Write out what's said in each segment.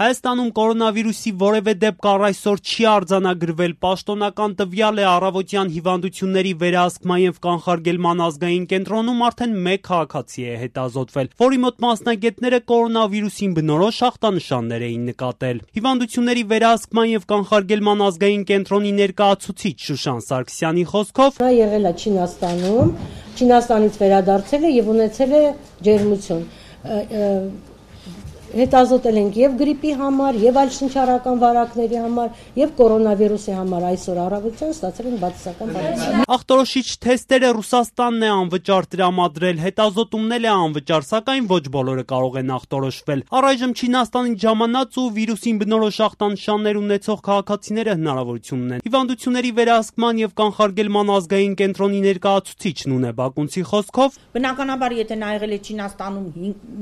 Հայաստանում կորոնավիրուսի որևէ դեպք առ այսօր չի արձանագրվել, պաշտոնական տվյալ է առավոտյան հիվանդությունների վերահսկման եւ կանխարգելման ազգային կենտրոնում արդեն 1 քաղաքացի է հետազոտվել, որի մոտ մասնագետները կորոնավիրուսին բնորոշ ախտանշաններ էին նկատել։ Հիվանդությունների վերահսկման եւ կանխարգելման ազգային կենտրոնի ներկայացուցիչ Շուշան Սարգսյանի խոսքով նա եղել է Չինաստանում, Չինաստանից վերադարձել է եւ ունեցել է ջերմություն։ Հետազոտել ենք եւ գրիպի համար, եւ այլ շնչառական վարակների համար, եւ կորոնավիրուսի համար այսօր առավոտյան ստացել են բացասական պատասխան։ Ախտորոշիչ թեստերը Ռուսաստանն է անվճար տրամադրել, հետազոտումն է անվճար, սակայն ոչ բոլորը կարող են ախտորոշվել։ Առայժմ Չինաստանից ժամանած ու վիրուսին բնորոշ ախտանշաններ ունեցող քաղաքացիները հնարավորություն ունեն։ Հիվանդությունների վերահսկման եւ կանխարգելման ազգային կենտրոնի ներկայացուցիչ Նունե Բակունցի խոսքով, բնականաբար եթե նա եղել է Չինաստանում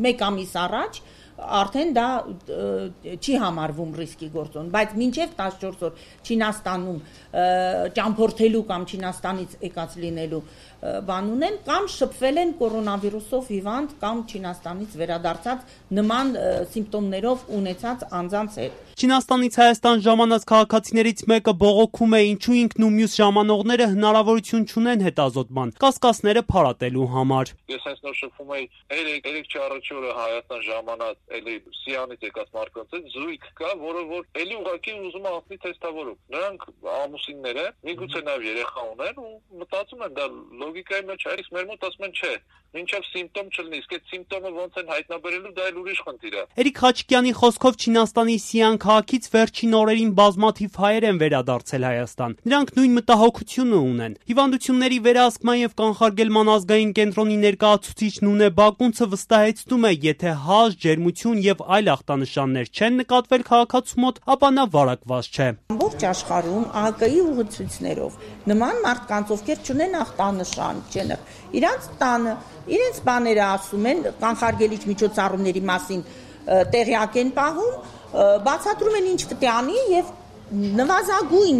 1 ամիս առաջ, արդեն դա չի համարվում ռիսկի գործոն, բայց մինչև 14 օր Չինաստանում ճամփորդելու կամ Չինաստանից եկած լինելու բան ունեն, կամ շփվել են կորոնավիրուսով հիվանդ կամ Չինաստանից վերադարձած նման սիմպտոմներով ունեցած անձանց հետ։ Չինաստանից Հայաստան ժամանած քաղաքացիներից մեկը բողոքում է, ինչու ինքն ու մյուս ժամանողները հնարավորություն չունեն հետազոտման, կասկածները փարատելու համար։ Ես հենց նոր շփվում էի, երեք չառաջի օրը Հայաստան ժամանած էլի Սիանից եկած մարդկանց զույգ կա, որը որ էլի ուղղակի ուզում է անցնի թեստավորում։ Նրանք ամուսիններ են, միգուցե նաև երեխա ունեն ու մտածում են դա լոգիկայի մեջ է, իսկ մեր մոտ ասում են չէ, մինչև սիմպտոմ չլինի, իսկ այդ սիմպտոմը ոնց են հայտնաբերելու, դա էլ ուրիշ խնդիր է։ Էրիկ Խաչիկյանի խոսքով Չինաստանի Սիան քաղաքից վերջին օրերին բազմաթիվ հայեր են վերադարձել Հայաստան։ Նրանք նույն մտահոգությունը ունեն։ Հիվանդությունների վերահսկման եւ կանխարգելման ազգային կենտրոնի ներկայացուցիչ Նունե Բակունցը վստահեցնում է, եթե հաշ, ջերմություն եւ այլ ախտանշաններ չեն նկատվել քաղաքացու մոտ, ապա նա վարակված չէ։ Ամբողջ աշխարհում ԱՀԿ-ի ուղղություններով նման մարդկանց, ովքեր չունեն ախտանշան, չեն, իրանց տանը, իրենց բաները ասում են, կանխարգելիչ միջոցառումների մասին տեղյակ են պահում, բացատրում են ինչ պետք է անի եւ նվազագույն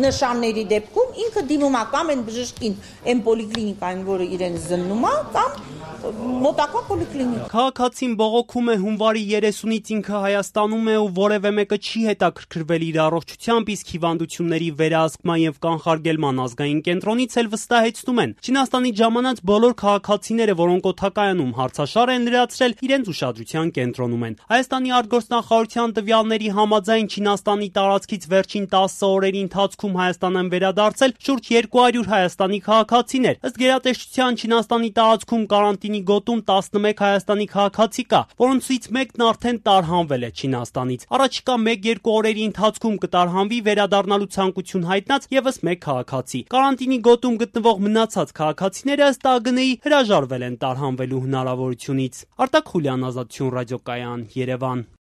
նշանների դեպքում ինքը դիմում է կամ են բժշկին այն պոլիկլինիկային, որը իրեն զննում է, կամ մոտակա պոլիկլինիկ։ Քաղաքացին բողոքում է հունվարի 30-ից ինքը Հայաստանում է ու որևէ մեկը չի հետաքրքրվել իր առողջությամբ, իսկ հիվանդությունների վերահսկման եւ կանխարգելման ազգային կենտրոնից էլ վստահեցնում են։ Չինաստանից ժամանած բոլոր քաղաքացիները, որոնք օդակայանում հարցաշար են լրացրել, իրենց ուշադրության կենտրոնում են։ Հայաստանի արտգործնախարարության տվյալների համաձայն Չինաստանի տարածքից վերջին 10 օրերի ընթացքում Հայաստան են վերադարձել շուրջ 200 հայաստանի քաղաքացիներ։ Ըստ գերատեսչության Չինաստանի տարածքում կարանտինի գոտում 11 հայաստանի քաղաքացի կա, որոնցից մեկն արդեն տարհանվել է Չինաստանից։ Առաջիկա 1-2 օրերի ընթացքում կտարհանվի վերադառնալու ցանկություն հայտնած եւս 1 քաղաքացի։ Կարանտինի գոտում գտնվող մնացած քաղաքացիները ըստ ԱԳՆ-ի հրաժարվել են տարհանվելու հնարավորությունից։ Արտակ Խուլյան, Ազատություն ռադիոկայան, Երևան։